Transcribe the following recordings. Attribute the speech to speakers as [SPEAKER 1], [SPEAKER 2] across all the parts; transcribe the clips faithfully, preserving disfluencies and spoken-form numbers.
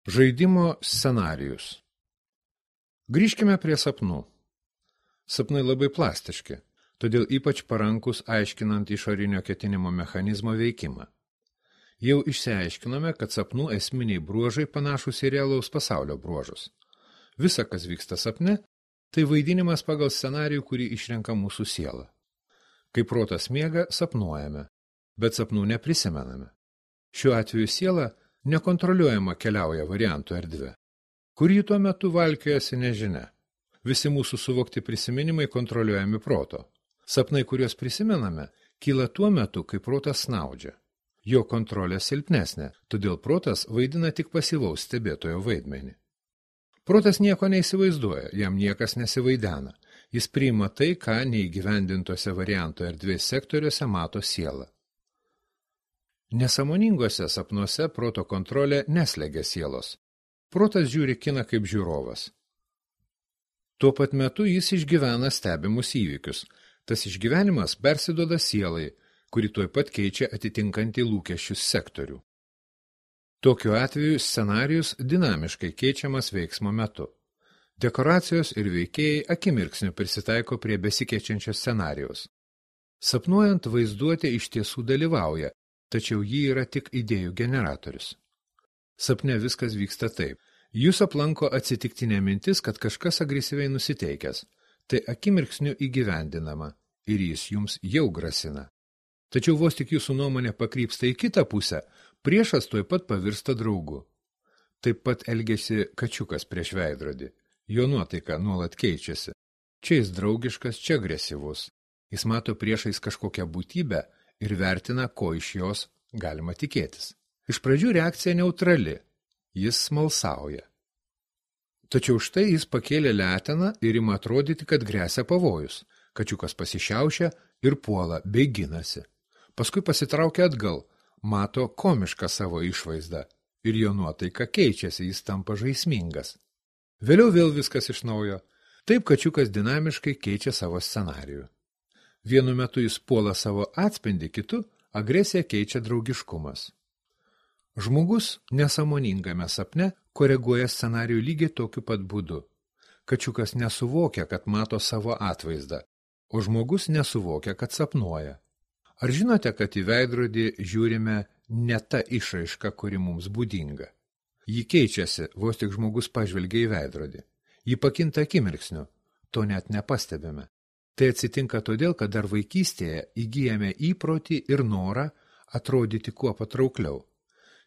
[SPEAKER 1] Žaidimo scenarijus. Grįžkime prie sapnų. Sapnai labai plastiški, todėl ypač parankus aiškinant išorinio ketinimo mechanizmo veikimą. Jau išsiaiškinome, kad sapnų esminiai bruožai panašūs į realaus pasaulio bruožus. Visa, kas vyksta sapne, tai vaidinimas pagal scenarijų, kurį išrenka mūsų siela. Kai protas miega, sapnuojame, bet sapnų neprisimename. Šiuo atveju siela nekontroliuojama keliauja variantų erdvė. Kur jį tuo metu valkiojasi nežinia. Visi mūsų suvokti prisiminimai kontroliuojami proto. Sapnai, kuriuos prisimename, kyla tuo metu, kai protas snaudžia. Jo kontrolė silpnesnė, todėl protas vaidina tik pasyvaus stebėtojo vaidmenį. Protas nieko neįsivaizduoja, jam niekas nesivaidena. Jis priima tai, ką neįgyvendintose variantų erdvės sektoriuose mato siela. Nesąmoningose sapnuose proto kontrolė neslegia sielos. Protas žiūri kiną kaip žiūrovas. Tuo pat metu jis išgyvena stebimus įvykius. Tas išgyvenimas persiduoda sielai, kuri tuoj pat keičia atitinkantį lūkesčius sektorių. Tokiu atveju scenarijus dinamiškai keičiamas veiksmo metu. Dekoracijos ir veikėjai akimirksniu prisitaiko prie besikeičiančio scenarijaus. Sapnuojant, vaizduotė iš tiesų dalyvauja, tačiau ji yra tik idėjų generatorius. Sapne viskas vyksta taip. Jūs aplanko atsitiktinė mintis, kad kažkas agresyviai nusiteikęs. Tai akimirksniu įgyvendinama ir jis jums jau grasina. Tačiau vos tik jūsų nuomonė pakrypsta į kitą pusę, priešas tuoj pat pavirsta draugu. Taip pat elgiasi kačiukas prieš veidrodį. Jo nuotaika nuolat keičiasi. Čia jis draugiškas, čia agresyvus. Jis mato priešais kažkokią būtybę ir vertina, ko iš jos galima tikėtis. Iš pradžių reakcija neutrali, jis smalsauja. Tačiau štai jis pakėlė leteną ir ima atrodyti, kad gresia pavojus. Kačiukas pasišiaušia ir puola, bei ginasi. Paskui pasitraukia atgal, mato komišką savo išvaizdą ir jo nuotaika keičiasi, jis tampa žaismingas. Vėliau vėl viskas iš naujo. Taip kačiukas dinamiškai keičia savo scenarijų. Vienu metu jis puola savo atspindį, kitu agresiją keičia draugiškumas. Žmogus nesąmoningame sapne koreguoja scenarijų lygiai tokiu pat būdu. Kačiukas nesuvokia, kad mato savo atvaizdą, o žmogus nesuvokia, kad sapnuoja. Ar žinote, kad į veidrodį žiūrime ne ta išraiška, kuri mums būdinga? Ji keičiasi, vos tik žmogus pažvelgia į veidrodį. Ji pakinta akimirksniu, to net nepastebime. Tai atsitinka todėl, kad dar vaikystėje įgyjame įprotį ir norą atrodyti kuo patraukliau.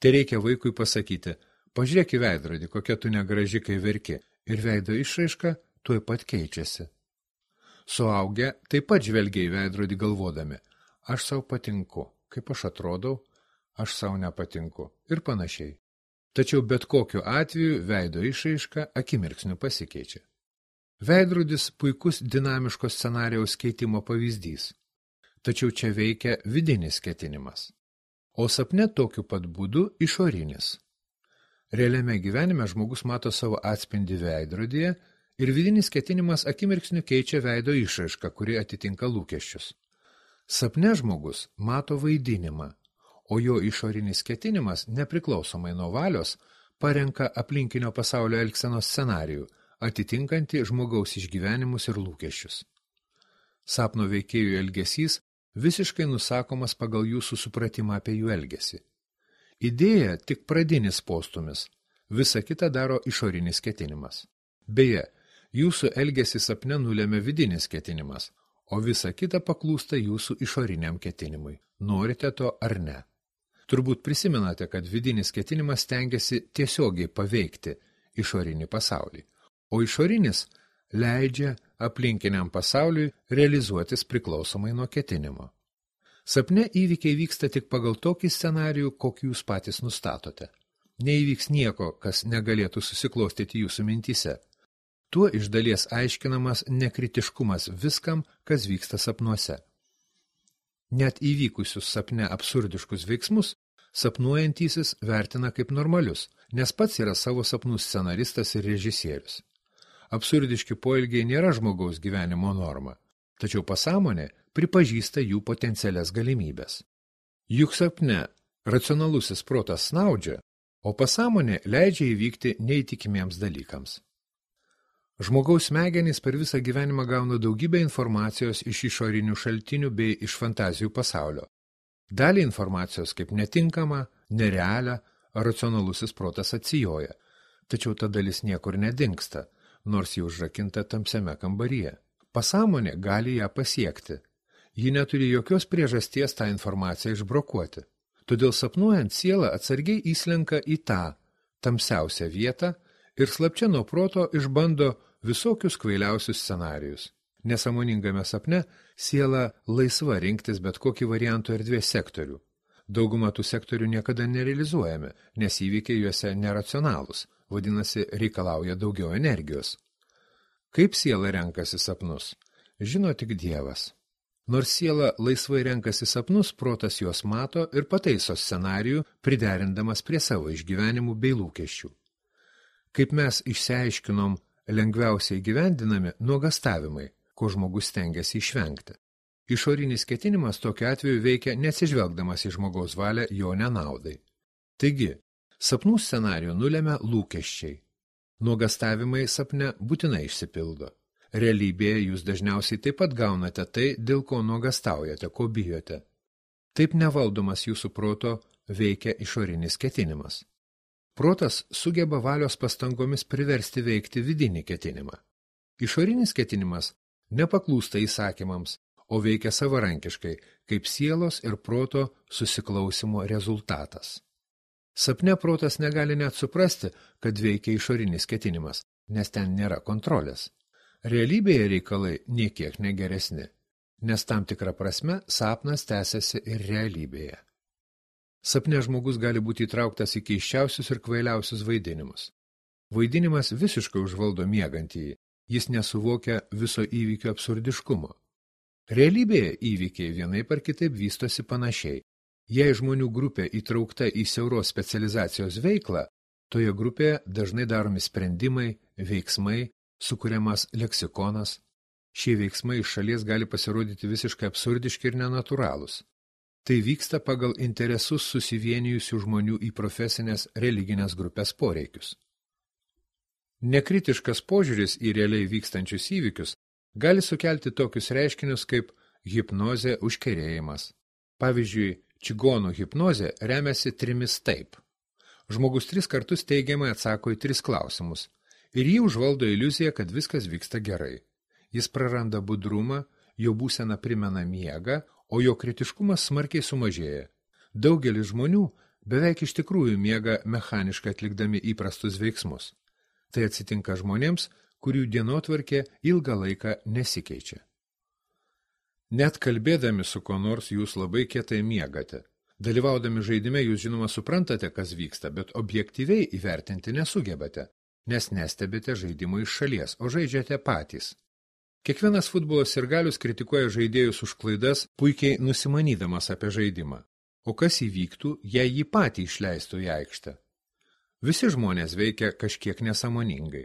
[SPEAKER 1] Tai reikia vaikui pasakyti, pažiūrėk į veidrodį, kokia tu negraži, kai verki, ir veido išraiška tuoj pat keičiasi. Suaugę taip pat žvelgia į veidrodį galvodami, aš sau patinku, kaip aš atrodau, aš sau nepatinku ir panašiai. Tačiau bet kokiu atveju veido išraiška akimirksniu pasikeičia. Veidrodis puikus dinamiško scenarijaus keitimo pavyzdys. Tačiau čia veikia vidinis ketinimas. O sapne tokiu pat būdu išorinis. Realiame gyvenime žmogus mato savo atspindį veidrodyje ir vidinis ketinimas akimirksniu keičia veido išraišką, kuri atitinka lūkesčius. Sapne žmogus mato vaidinimą, o jo išorinis ketinimas, nepriklausomai nuo valios, parenka aplinkinio pasaulio elgsenos scenarijų, atitinkantį žmogaus išgyvenimus ir lūkesčius. Sapno veikėjų elgesys visiškai nusakomas pagal jūsų supratimą apie jų elgesį. Idėja tik pradinis postumis, visa kita daro išorinis ketinimas. Beje, jūsų elgesį sapne nulėmė vidinis ketinimas, o visa kita paklūsta jūsų išoriniam ketinimui. Norite to ar ne? Turbūt prisimenate, kad vidinis ketinimas stengiasi tiesiogiai paveikti išorinį pasaulį, o išorinis leidžia aplinkiniam pasauliui realizuotis priklausomai nuo ketinimo. Sapne įvykiai vyksta tik pagal tokį scenarijų, kokį jūs patys nustatote. Neįvyks nieko, kas negalėtų susiklostyti jūsų mintyse. Tuo iš dalies aiškinamas nekritiškumas viskam, kas vyksta sapnuose. Net įvykusius sapne absurdiškus veiksmus sapnuojantysis vertina kaip normalius, nes pats yra savo sapnų scenaristas ir režisierius. Absurdiški poelgiai nėra žmogaus gyvenimo norma, tačiau pasąmonė pripažįsta jų potencialias galimybės. Juk sapne racionalusis protas snaudžia, o pasąmonė leidžia įvykti neįtikimiems dalykams. Žmogaus smegenys per visą gyvenimą gauna daugybę informacijos iš išorinių šaltinių bei iš fantazijų pasaulio. Dalį informacijos kaip netinkama, nerealią, racionalusis protas atsijoja, tačiau ta dalis niekur nedingsta, nors ji užrakinta tamsiame kambaryje. Pasąmonė gali ją pasiekti. Ji neturi jokios priežasties tą informaciją išbrokuoti. Todėl sapnuojant siela atsargiai įslenka į tą tamsiausią vietą ir slapčia nuo proto išbando visokius kvailiausius scenarijus. Nesąmoningame sapne siela laisva rinktis bet kokį variantų erdvės sektorių. Dauguma tų sektorių niekada nerealizuojami, nes įvykiai juose neracionalūs, vadinasi, reikalauja daugiau energijos. Kaip siela renkasi sapnus? Žino tik Dievas. Nors siela laisvai renkasi sapnus, protas juos mato ir pataiso scenarijų, priderindamas prie savo išgyvenimų bei lūkesčių. Kaip mes išsiaiškinom, lengviausiai gyvendinami nuogastavimai, ko žmogus stengiasi išvengti. Išorinis ketinimas tokiu atveju veikia neatsižvelgdamas į žmogaus valią jo nenaudai. Taigi, sapnų scenarijų nulemia lūkesčiai. Nuogastavimai sapne būtinai išsipildo. Realybėje jūs dažniausiai taip pat gaunate tai, dėl ko nuogastaujate, ko bijote. Taip nevaldomas jūsų proto veikia išorinis ketinimas. Protas sugeba valios pastangomis priversti veikti vidinį ketinimą. Išorinis ketinimas nepaklūsta įsakymams, o veikia savarankiškai, kaip sielos ir proto susiklausimo rezultatas. Sapne protas negali net suprasti, kad veikia išorinis ketinimas, nes ten nėra kontrolės. Realybėje reikalai niekiek negeresni, nes tam tikrą prasme sapnas tęsiasi ir realybėje. Sapne žmogus gali būti įtrauktas į keisčiausius ir kvailiausius vaidinimus. Vaidinimas visiškai užvaldo miegantįjį, jis nesuvokia viso įvykio absurdiškumo. Realybėje įvykiai vienaip ar kitaip vystosi panašiai. Jei žmonių grupė įtraukta į siauros specializacijos veiklą, toje grupėje dažnai daromi sprendimai, veiksmai, sukuriamas leksikonas. Šie veiksmai iš šalies gali pasirodyti visiškai absurdiški ir nenatūralūs. Tai vyksta pagal interesus susivienijusių žmonių į profesinės religinės grupės poreikius. Nekritiškas požiūris į realiai vykstančius įvykius gali sukelti tokius reiškinius kaip hipnozė užkerėjimas. Pavyzdžiui, čigonų hipnozė remiasi trimis taip. Žmogus tris kartus teigiamai atsako į tris klausimus ir jį užvaldo iliuzija, kad viskas vyksta gerai. Jis praranda budrumą, jo būsena primena miegą, o jo kritiškumas smarkiai sumažėja. Daugelis žmonių beveik iš tikrųjų miega mechaniškai atlikdami įprastus veiksmus. Tai atsitinka žmonėms, kurių dienotvarkė ilgą laiką nesikeičia. Net kalbėdami su ko nors jūs labai kietai miegate. Dalyvaudami žaidime jūs žinoma suprantate, kas vyksta, bet objektyviai įvertinti nesugebate, nes nestebite žaidimo iš šalies, o žaidžiate patys. Kiekvienas futbolo sirgalius kritikuoja žaidėjus už klaidas, puikiai nusimanydamas apie žaidimą. O kas įvyktų, jei jį patį išleistų į aikštę? Visi žmonės veikia kažkiek nesąmoningai.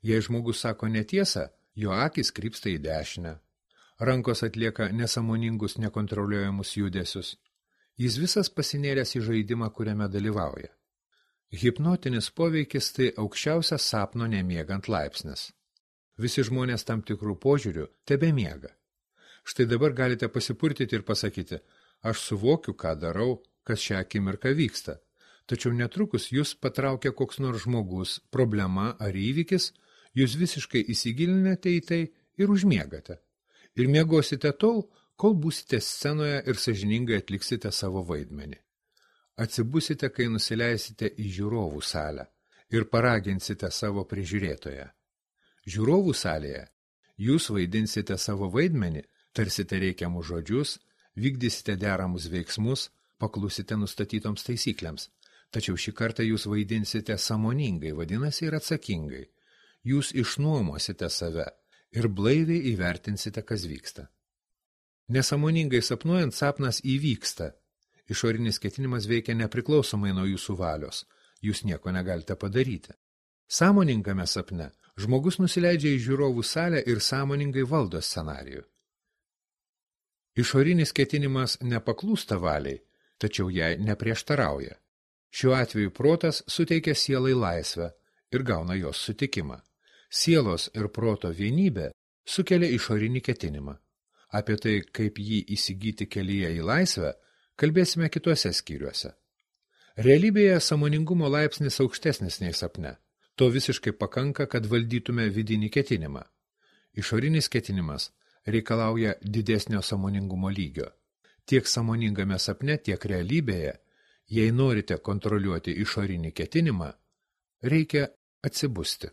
[SPEAKER 1] Jei žmogus sako netiesą, jo akys krypsta į dešinę. Rankos atlieka nesąmoningus, nekontroliuojamus judesius. Jis visas pasinėręs į žaidimą, kuriame dalyvauja. Hipnotinis poveikis tai aukščiausias sapno nemiegant laipsnis. Visi žmonės tam tikrų požiūrių tebemiega. Štai dabar galite pasipurtyti ir pasakyti, aš suvokiu, ką darau, kas šią akimirką vyksta. Tačiau netrukus jūs patraukia koks nors žmogus, problema ar įvykis, jūs visiškai įsigilinate į tai ir užmiegate. Ir miegosite tol, kol būsite scenoje ir sąžiningai atliksite savo vaidmenį. Atsibusite, kai nusileisite į žiūrovų salę ir paraginsite savo prižiūrėtoją. Žiūrovų salėje jūs vaidinsite savo vaidmenį, tarsite reikiamus žodžius, vykdysite deramus veiksmus, paklusite nustatytoms taisyklėms. Tačiau šį kartą jūs vaidinsite sąmoningai, vadinasi ir atsakingai. Jūs išnuomosite save ir blaiviai įvertinsite, kas vyksta. Nesąmoningai sapnuojant sapnas įvyksta. Išorinis ketinimas veikia nepriklausomai nuo jūsų valios. Jūs nieko negalite padaryti. Sąmoningame sapne žmogus nusileidžia į žiūrovų salę ir sąmoningai valdo scenarijų. Išorinis ketinimas nepaklūsta valiai, tačiau jai neprieštarauja. Šiuo atveju protas suteikia sielai laisvę ir gauna jos sutikimą. Sielos ir proto vienybė sukelia išorinį ketinimą. Apie tai, kaip jį įsigyti kelyje į laisvę, kalbėsime kituose skyriuose. Realybėje sąmoningumo laipsnis aukštesnis nei sapne. To visiškai pakanka, kad valdytume vidinį ketinimą. Išorinis ketinimas reikalauja didesnio sąmoningumo lygio. Tiek sąmoningame sapne, tiek realybėje, jei norite kontroliuoti išorinį ketinimą, reikia atsibusti.